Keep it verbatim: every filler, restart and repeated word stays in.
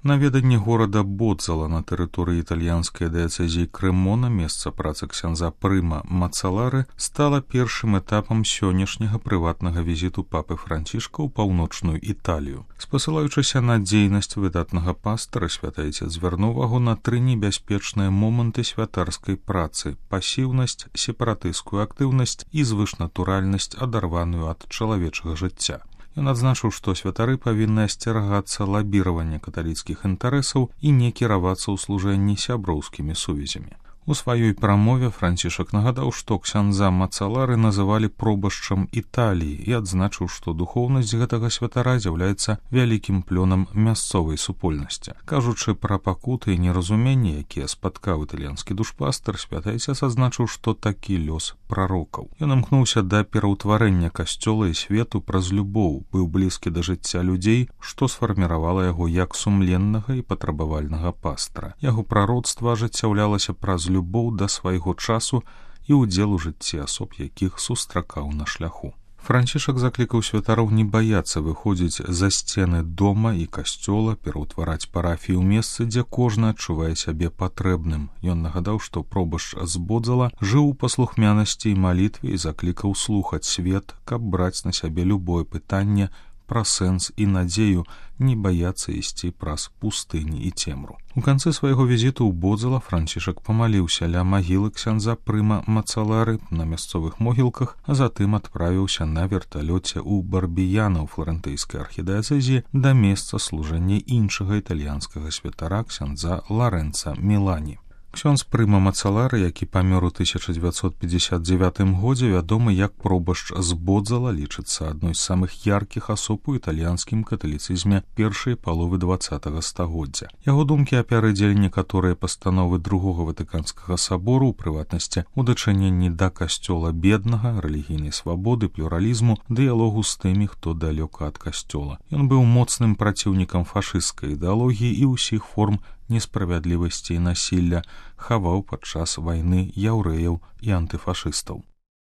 Наведанне горада Бодзала на тэрыторыі італьянскай дыяцэзіі Крэмона, месца працы ксяндза Прыма Мацалары, стала першым этапам сённяшняга прыватнага візіту папы Францішка ў паўночную Італію. Спасылаючыся на дзейнасць выдатнага пастара, святы айцец звярнуў увагу на тры небяспечныя моманты святарскай працы: пасіўнасць, сепаратысцкую актыўнасць і звышнатуральнасць, адарваную ад чалавечага жыцця. Ён адзначыў, што святары павінны асцерагацца лабіравання каталіцкіх інтарэсаў і не кіравацца ў служэнні сяброўскімі сувязямі. У сваёй прамове Францішак нагадаў, што ксяндза Мацалары называлі пробашчам Італіі і адзначыў, што духоўнасць гэтага святара з'яўляецца вялікім плёнам мясцовай супольнасці. Кажучы пра пакуты і неразуменні, якія спаткаў італьянскі душпастар, святы айцец адзначыў, што такі лёс прарокаў. Ён імкнуўся да пераўтварэння касцёла і свету праз любоў, быў блізкі да жыцця людзей, што сфарміравала яго як сумленнага і патрабавальнага пастара. Яго прароцтва ажыццяўлялася праз любоў да свайго часу і ўдзел у жыцці асоб, якіх сустракаў на шляху. Францішак заклікаў святароў не баяцца выходзіць за сцены дома і касцёла, пераўтвараць парафію ў месцы, дзе кожны адчувае сябе патрэбным. Ён нагадаў, што пробашч з Бодзала жыў у паслухмянасці і малітве і заклікаў слухаць свет, каб браць на сябе любое пытанне пра сэнс і надзею, не баяцца ісці праз пустыні і цемру. У канцы свайго візіту ў Бодзала Францішак памаліўся ля магілы ксяндза Прыма Мацалары на мясцовых могілках, а затым адправіўся на верталёце ў Барбіяна ў фларэнтыйскай архідыяцэзіі да месца служэння іншага італьянскага святара ксяндза Ларэнца Мілані. Ксёндз Прыма Мацалары, які памёр у тысяча дзевяцьсот пятьдесят девятым годзе, вядомы як пробашч з Бодзала, лічыцца адной з самых яркіх асоб у італьянскім каталіцызме першай паловы дваццатага стагоддзя. Яго думкі апярэдзілі некаторыя пастановы другога ватыканскага сабору, у прыватнасці у дачыненні да касцёла беднага, рэлігійнай свабоды, плюралізму, дыялогу з тымі, хто далёка ад касцёла. Ён быў моцным праціўнікам фашысцкай ідэалогіі і ўсіх форм несправядлівасці і насілля, хаваў падчас вайны яўрэяў і антыфашыстаў.